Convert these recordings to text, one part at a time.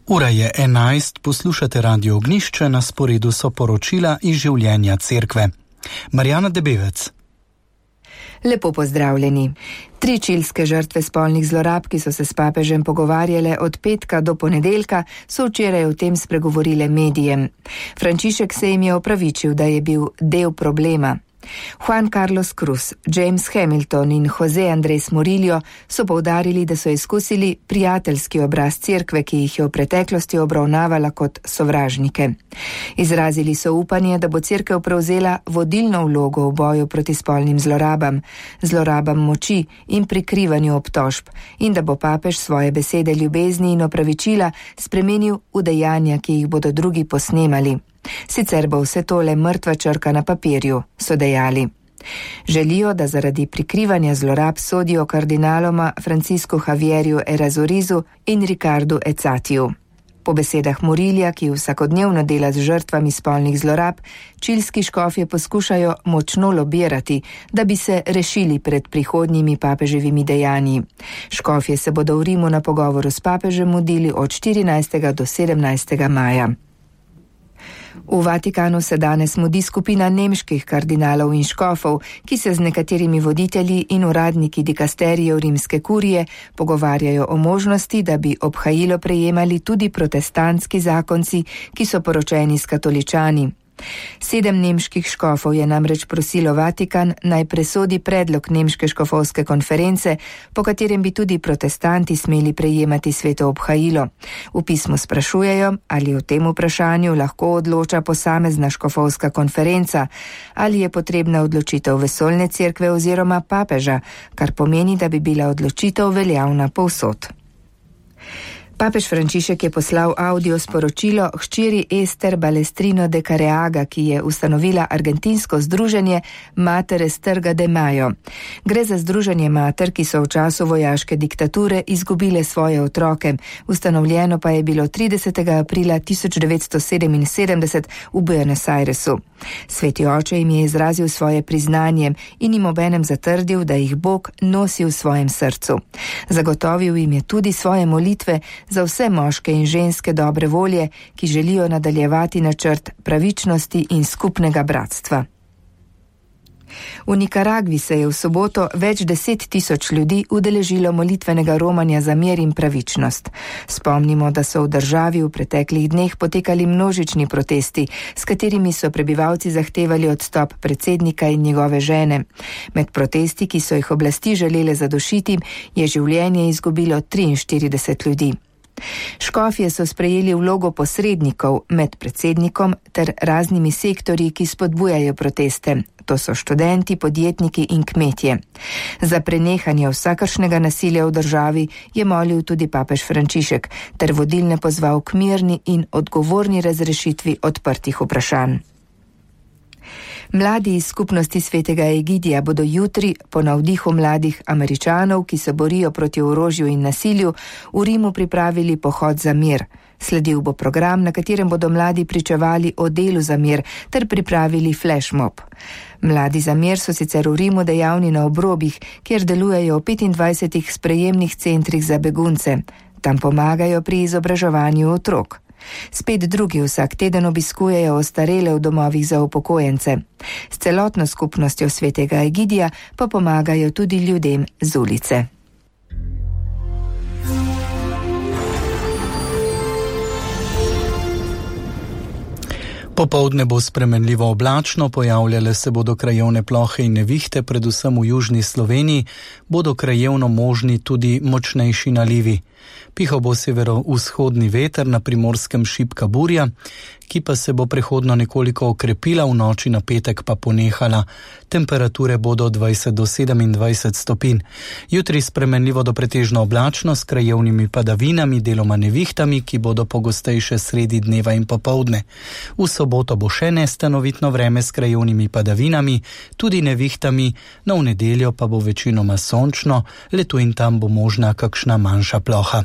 Ura je 11, poslušate Radio Ognjišče, na sporedu so poročila iz življenja cerkve. Marjana Debevec. Lepo pozdravljeni. 3 čilske žrtve spolnih zlorab, ki so se s papežem pogovarjale od petka do ponedeljka, so včeraj o tem spregovorile medijem. Frančišek se jim je opravičil, da je bil del problema. Juan Carlos Cruz, James Hamilton in Jose Andres Murillo so poudarili, da so izkusili prijateljski obraz cerkve, ki jih je v preteklosti obravnavala kot sovražnike. Izrazili so upanje, da bo cerkev prevzela vodilno vlogo v boju proti spolnim zlorabam moči in prikrivanju obtožb in da bo papež svoje besede ljubezni in opravičila spremenil v dejanja, ki jih bodo drugi posnemali. Sicer bo vse tole mrtva črka na papirju, so dejali. Želijo, da zaradi prikrivanja zlorab sodijo kardinaloma Franciscu Javierju Erazurizu in Ricardu Ecatiju. Po besedah Murillija, ki vsakodnevno dela z žrtvami spolnih zlorab, čilski škofje poskušajo močno lobirati, da bi se rešili pred prihodnjimi papeževimi dejanji. Škofje se bodo v Rimu na pogovoru s papežem mudili od 14. do 17. maja. V Vatikanu se danes mudi skupina nemških kardinalov in škofov, ki se z nekaterimi voditelji in uradniki dikasterijev rimske kurije pogovarjajo o možnosti, da bi obhajilo prejemali tudi protestantski zakonci, ki so poročeni s katoličani. 7 nemških škofov je namreč prosilo Vatikan naj presodi predlog nemške škofovske konference, po katerem bi tudi protestanti smeli prejemati sveto obhajilo. V pismu sprašujejo, ali o tem vprašanju lahko odloča posamezna škofovska konferenca, ali je potrebna odločitev vesoljne cerkve oziroma papeža, kar pomeni, da bi bila odločitev veljavna povsod. Papež Frančišek je poslal audio sporočilo hčeri Ester Balestrino de Careaga, ki je ustanovila argentinsko združenje Matere Strga de Mayo. Gre za združenje mater, ki so v času vojaške diktature izgubile svoje otroke. Ustanovljeno pa je bilo 30. aprila 1977 v Buenos Airesu. Sveti oče jim je izrazil svoje priznanje in jim obenem zatrdil, da jih Bog nosi v svojem srcu. Zagotovil jim je tudi svoje molitve za vse moške in ženske dobre volje, ki želijo nadaljevati načrt pravičnosti in skupnega bratstva. V Nikaragvi se je v soboto več 10.000 ljudi udeležilo molitvenega romanja za mir in pravičnost. Spomnimo, da so v državi v preteklih dneh potekali množični protesti, s katerimi so prebivalci zahtevali odstop predsednika in njegove žene. Med protesti, ki so jih oblasti želele zadušiti, je življenje izgubilo 43 ljudi. Škofje so sprejeli vlogo posrednikov med predsednikom ter raznimi sektorji, ki spodbujajo proteste. To so študenti, podjetniki in kmetje. Za prenehanje vsakršnega nasilja v državi je molil tudi papež Frančišek ter vodilne pozval k mirni in odgovorni razrešitvi odprtih vprašanj. Mladi iz skupnosti svetega Egidija bodo jutri po navdihu mladih Američanov, ki se borijo proti orožju in nasilju, v Rimu pripravili pohod za mir. Sledil bo program, na katerem bodo mladi pričevali o delu za mir ter pripravili flashmob. Mladi za mir so sicer v Rimu dejavni na obrobjih, kjer delujejo v 25 sprejemnih centrih za begunce. Tam pomagajo pri izobraževanju otrok. Spet drugi vsak teden obiskujejo ostarele v domovih za upokojence. S celotno skupnostjo svetega Egidija pa pomagajo tudi ljudem z ulice. Popoldne bo spremenljivo oblačno, pojavljale se bodo krajevne plohe in nevihte, predvsem v južni Sloveniji, bodo krajevno možni tudi močnejši nalivi. Pihal bo severovzhodni veter, na Primorskem šibka burja, ki pa se bo prehodno nekoliko okrepila, v noči na petek pa ponehala. Temperature bodo 20 do 27 stopinj. Jutri spremenljivo do pretežno oblačno s krajevnimi padavinami, deloma nevihtami, ki bodo pogostejše sredi dneva in popoldne. V soboto bo še nestanovitno vreme s krajevnimi padavinami, tudi nevihtami, no v nedeljo pa bo večinoma sončno, le tu in tam bo možna kakšna manjša ploha.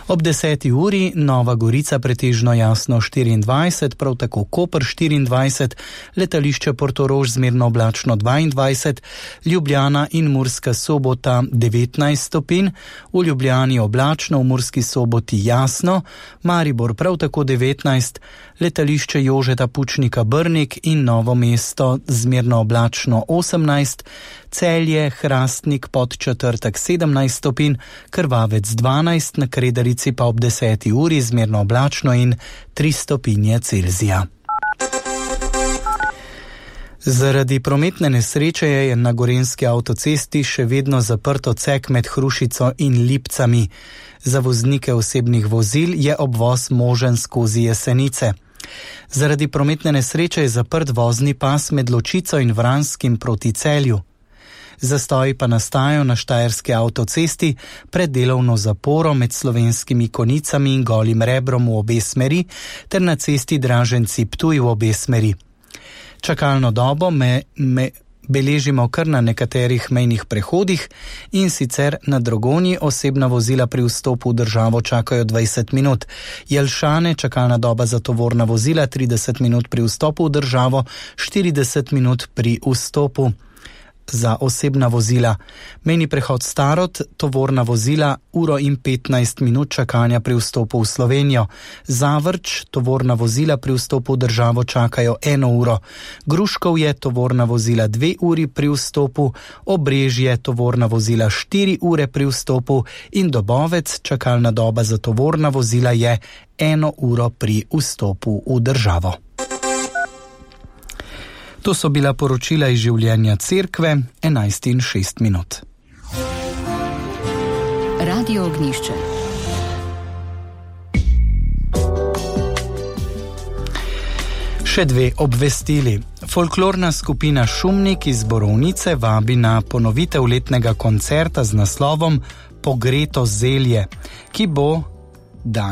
Ob 10. uri Nova Gorica pretežno jasno 24, prav tako Koper 24, letališče Portorož zmerno oblačno 22, Ljubljana in Murska Sobota 19 stopinj, v Ljubljani oblačno, v Murski Soboti jasno, Maribor prav tako 19, letališče Jožeta Pučnika Brnik in Novo mesto zmerno oblačno 18, Celje, Hrastnik, Podčetrtek 17 stopinj, Krvavec 12, na Kredarici pa ob 10. uri zmerno oblačno in 3 stopinje Celzija. Zaradi prometne nesreče je na gorenjski avtocesti še vedno zaprt odsek med Hrušico in Lipcami. Za voznike osebnih vozil je obvoz možen skozi Jesenice. Zaradi prometne nesreče je zaprt vozni pas med Ločico in Vranskim proti Celju. Zastoji pa nastajajo na štajerski avtocesti pred delovno zaporo med Slovenskimi Konicami in Golim Rebrom v obe smeri ter na cesti Draženci-Ptuj v obe smeri. Čakalno dobo beležimo kar na nekaterih mejnih prehodih, in sicer na Dragonji osebna vozila pri vstopu v državo čakajo 20 minut. Jelšane čakalna doba za tovorna vozila 30 minut pri vstopu v državo, 40 minut pri vstopu za osebna vozila. Mejni prehod Starod, tovorna vozila, 1:15 minut čakanja pri vstopu v Slovenijo. Zavrč, tovorna vozila pri vstopu v državo čakajo 1 uro. Gruškovje, tovorna vozila 2 uri pri vstopu, Obrežje, tovorna vozila 4 ure pri vstopu in Dobovec, čakalna doba za tovorna vozila je 1 uro pri vstopu v državo. To so bila poročila iz življenja cerkve, 11:06. Radio Ognjišče. Še 2 obvestili. Folklorna skupina Šumnik iz Borovnice vabi na ponovitev letnega koncerta z naslovom Pogreto zelje, ki bo dan